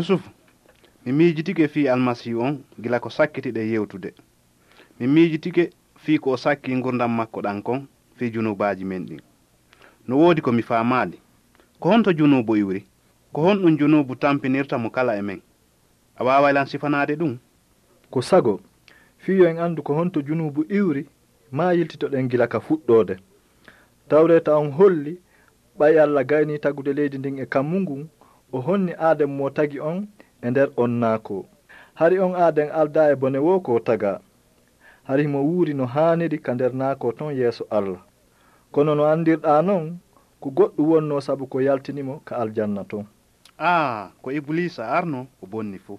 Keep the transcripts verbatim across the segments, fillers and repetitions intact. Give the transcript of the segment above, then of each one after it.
Yusufu, mi miijitike fii Almasiihu on gila ko sakkitiɗen yewtude. Mi miijitike fii ko o sakki ngurndan makko ɗan kon fii junuubaaji men ɗin. No woodi ko mi faamaali. Ko honto junuubu iwri? Ko honɗun junuubu tampinirta mo kala e men? A waaway lan sifanaade ɗun? Ko sago, fii yo en anndu ko honto junuubu iwri, maa yiltitoɗen gila ka fuɗɗoode. Tawreeta on holli, ɓay Alla gaynii tagude leydi ndin e kammu ngun, o honni Aaden mo tagi on e nder on naakoo. Hari on Aaden aldaa e bone woo ko o tagaa. Hari himo wuuri no haaniri ka nder naakoo ton yeeso Alla. Kono no anndirɗaa non, ko goɗɗun wonnoo sabu ko yaltini mo ka aljanna ton. Aa, ko Ibuliisa arno, o bonni fow.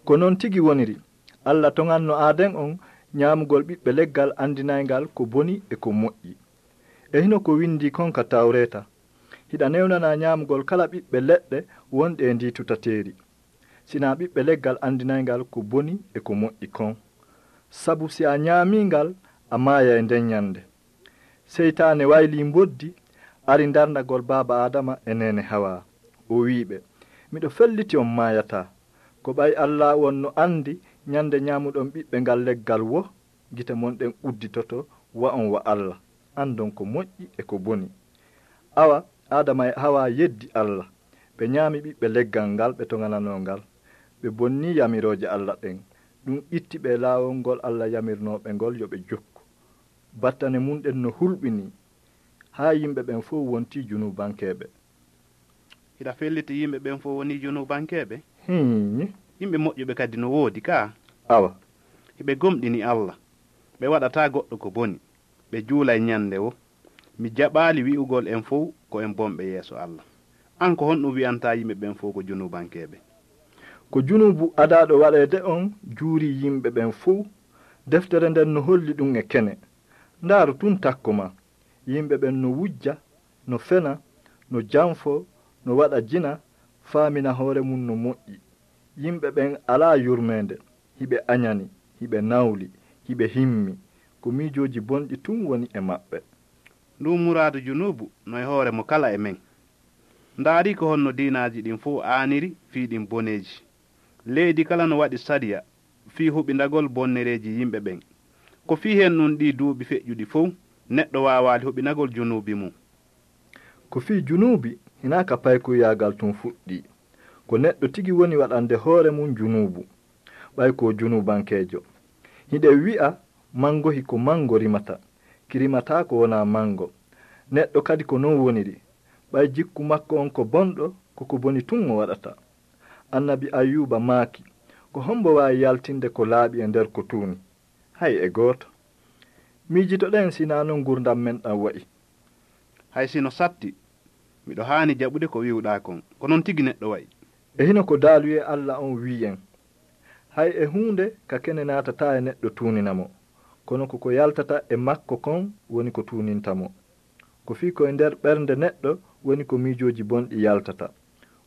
Ko non tigi woniri. Alla toŋanno Aaden on ñaamugol ɓiɓɓe leggal anndinayngal ko boni e ko moƴƴi. E hino ko winndii kon ka Tawreeta, "Hiɗa newnanaa ñaamugol kala ɓiɓɓe leɗɗe wonɗe e ndii tutateeri, sinaa ɓiɓɓe leggal anndinayngal ko boni e ko moƴƴi kon. Sabu si a ñaamii ngal, a maayay nden ñannde." Seytaane waylii mboddi, ari ndarndagol baaba Aadama e neene Hawaa. O wi'i ɓe, "Miɗo felliti on maayataa. Ko ɓay Alla wonno anndi ñannde ñaamuɗon ɓiɓɓe ngal leggal woo, gite mon ɗen udditoto, wa'on wa Alla, anndon ko moƴƴi e ko boni." Awa Aadama e Hawaa yeddi Alla. Ɓe ñaami ɓiɓɓe leggal ngal ɓe toŋananoo ngal. Ɓe bonnii yamirooje Alla ɗen. Ɗun itti ɓe e laawol ngol Alla yamirnoo ɓe ngol yo ɓe jokku. Battane mun ɗen no hulɓinii, haa yimɓe ɓen fow wontii junuubankeeɓe. Hiɗa felliti yimɓe ɓen fow wonii junuubankeeɓe? Hiini. Yimɓe moƴƴuɓe kadi no woodi kaa. Awa. Hiɓe gomɗini Alla. Ɓe waɗataa goɗɗo ko boni. Ɓe juulay ñannde woo. Mi jaɓaali wi'ugol en fow ko en bonɓe yeeso Alla. An, ko honɗun wi'antaa yimɓe ɓen fow ko junuubankeeɓe? Ko junuubu adaaɗo waɗeede on juurii yimɓe ɓen fow. Deftere nden no holli ɗun e kene. Ndaaru tun takko maa. Yimɓe ɓen no wujja, no fena, no janfoo, no waɗa jina, faamina hoore mun no moƴƴi. Yimɓe ɓen alaa yurmeende, hiɓe añani, hiɓe nawli, hiɓe himmi. Ko miijooji bonɗi tun woni e maɓɓe. Ndun muraadu junuubu no e hoore mo kala e men. Ndaarii ko honno diinaaji ɗin fow aaniri fii ɗin boneeji. Leydi kala no waɗi sariya fii huɓindagol bonnereeji yimɓe ɓen. Ko fii hen ɗun ɗii duuɓi feƴƴuɗi fow, neɗɗo waawaali huɓinagol junuubi mun. Ko fii junuubi, hinaa ka paykuyaagal tun fuɗɗii. Ko neɗɗo tigi woni waɗande hoore mun junuubu, ɓay ko junuubankeejo. Hiɗen wi'a, mangohi ko mango rimata, ki rimataako wonaa mango. Neɗɗo kadi ko non woniri, ɓay jikku makko on ko bonɗo, ko ko boni tun o waɗata. Annabi Ayyuuba maaki, "Ko hombo waawi yaltinde ko laaɓi e nder ko tuuni?" Hay e gooto. Miijitoɗen si naa non ngurndan men ɗan wa'i. Hay si no satti, miɗo haani jaɓude ko wi'uɗaa kon. Ko non tigi neɗɗo wa'i. E hino ko daaluyee Alla on wi'i en, "Hay e huunde ka kene naatataa e neɗɗo tuunina mo, kono ko ko yaltata e makko kon woni ko tuuninta mo." Ko fii ko e nder ɓernde neɗɗo woni ko miijooji bonɗi yaltata,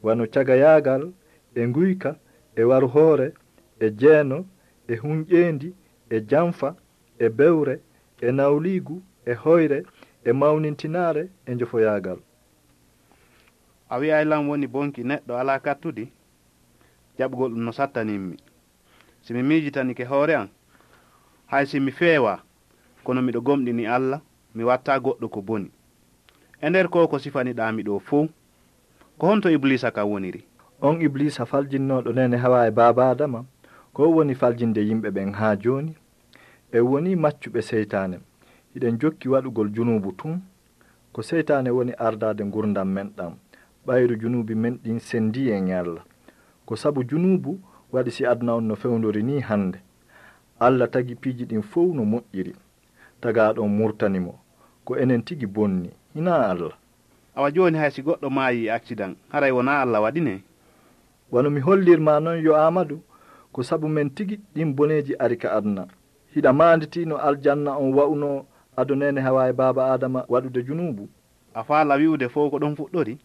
wano cagayaagal, e nguyka, e waru hoore, e jeeno, e hunƴeendi, e janfa, e bewre, e nawliigu, e hoyre, e mawnintinaare, e njofoyaagal. A wi'ay lan woni bonki neɗɗo alaa kattudi? Jaɓugol ɗun no sattanimmi. Si mi miijitanike hoore an, hay si mi feewaa, kono miɗo gomɗini Alla, mi wattaa goɗɗo ko boni. E nder koo ko sifaniɗaa mi ɗoo fow, ko honto Ibuliisa kan woniri? On Ibuliisa faljinnooɗo neene Hawaa e baaba Aadama, ko o woni faljinde yimɓe ɓen haa jooni. En wonii maccuɓe seytaane, hiɗen jokki waɗugol junuubu tun. Ko seytaane woni ardaade ngurndan men ɗan, ɓayru junuubi men ɗin sendii en e Alla. Ko sabu junuubu waɗi si aduna on no fewndori nii hande. Alla tagi piiji ɗin fow no moƴƴiri. Tagaaɗo on murtani mo. Ko enen tigi bonni, hinaa Alla. Awa jooni hay si goɗɗo maayii e aksidan, haray wonaa Alla waɗi ne? Wano mi hollirmaa non yo Aamadu, ko sabu men tigi ɗin boneeji ari ka aduna. Hiɗa maanditii no aljanna on wa'unoo ado neene Hawaa e baaba Aadama waɗude junuubu? A faalaa wi'ude fow ko ɗon fuɗɗori?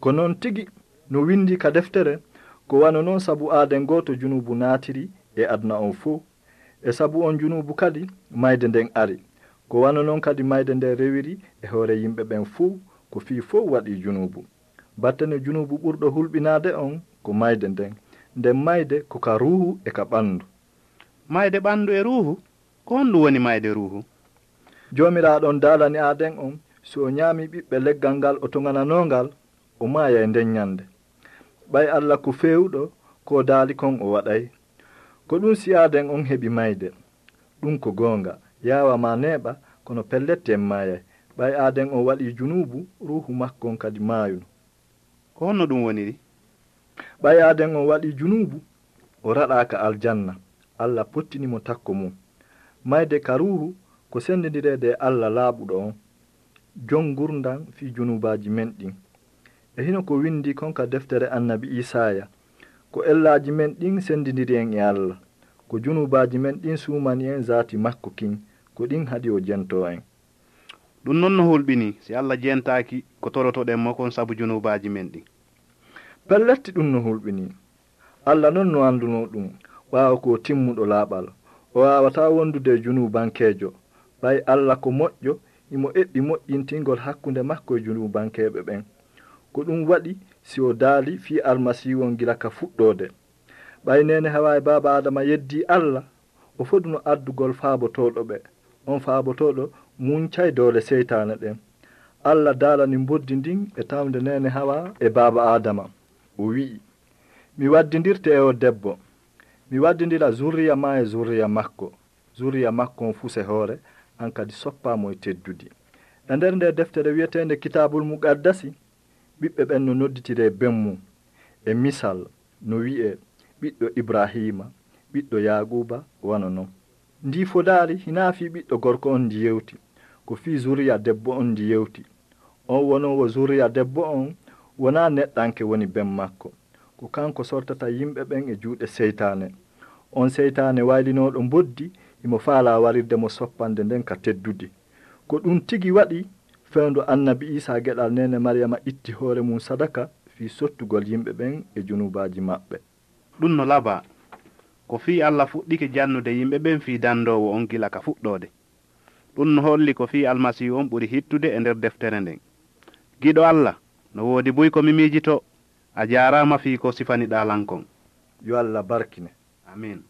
Ko non tigi, no windii ka deftere, ko wano non sabu aaden gooto junuubu naatiri e aduna on fow. E sabu on junuubu kadi, mayde nden ari. Ko wano non kadi mayde nden rewiri e hoore yimɓe ɓen fow, ko fii fow waɗii junuubu. Battane junuubu ɓurɗo hulɓinaade on, ko mayde nden. Nden mayde ko ka ruuhu e ka ɓandu. Mayde ɓandu e ruuhu? Ko honɗum woni mayde ruuhu? Joomiraaɗo on daalani Aaden on, si o ñaami ɓiɓɓe leggal ngal o toŋananoo ngal, o maayay nden ñande. Ɓay Alla ko feewuɗo ko o daali kon o waɗay. Ko ɗum si Aaden on heɓi mayde. Ɗum ko goonga, yaawa maa neeɓa, kono pellet en maayay. Ɓay Aaden on waɗii junuubu, ruuhu makko on kadi maayuno. Ko honno ɗum woniri? Ɓay Aaden on waɗii junuubu, o raɗaaka aljanna. Alla pottini mo takko mum. Mayde ka ruuhu ko sendindireede e Alla laaɓuɗo on, jon ngurndan fii junuubaaji men ɗin. E hino ko windi kon ka deftere annabi Iisaaya, ko ellaaji men ɗin sendindiri en e Alla, ko junuubaaji men ɗin suumani en zaati makko kin, ko ɗin haɗi o jentoo en. Ɗum non no hulɓinii, si Alla jentaaki ko torotoɗen mo kon sabu junuubaaji men ɗin. Pelletti ɗum no hulɓinii. Alla non no andunoo ɗum, ɓaawo ko o timmuɗo laaɓal. O waawataa wondude e junuubankeejo. Ɓay Alla ko moƴƴo, himo eɓɓi moƴƴintingol hakkunde makko e junuubankeeɓe ɓen. Ko ɗum waɗi si o daali fii Almasiihu on gila ka fuɗɗoode. Ɓay neene Hawaa e baaba Aadama yeddii Alla, o foduno addugol faabotooɗo ɓe. On faabotooɗo muncay doole seytaane ɗen. Alla daalani mboddi ndin e tawnde neene Hawaa e baaba Aadama. O wi'i, mi waddindirte e o debbo. Mi waddindira zurriya maa e zurriya makko. Zurriya makko on fuse hoore, an kadi soppaa mo e teddudi. E nder nde deftere wi'eteende Kitaabul Muqaddasi, ɓiɓɓe ɓen no nodditiree ben mum. E misal, no wi'ee, ɓiɗɗo Ibraahiima, ɓiɗɗo Yaaquuba, wano non. Ndii fodaari hinaa fii ɓiɗɗo gorko on ndi yewti, ko fii zuriya debbo on ndi yewti. On wonoowo zuriya debbo on wonaa neɗɗanke woni ben makko. Ko kanko sortata yimɓe ɓen e juuɗe seytaane. On seytaane waylinooɗo mboddi, himo faalaa warirde mo soppande nden ka teddudi. Ko ɗum tigi waɗi fewndo annabi Iisaa geɗal neene Maryama itti hoore mum sadaka fii sottugol yimɓe ɓen e junuubaaji maɓɓe. Ɗum no labaa. Ko fii Alla fuɗɗike jannude yimɓe ɓen fii dandoowo on gila ka fuɗɗoode. Ɗum no holli ko fii Almasiihu on ɓuri hittude e nder deftere nden. Giɗo Alla, no woodi buy ko mi miijitoo. A jaaraama fii ko sifaniɗaa lan kon. Yo Alla barkine. Amiin.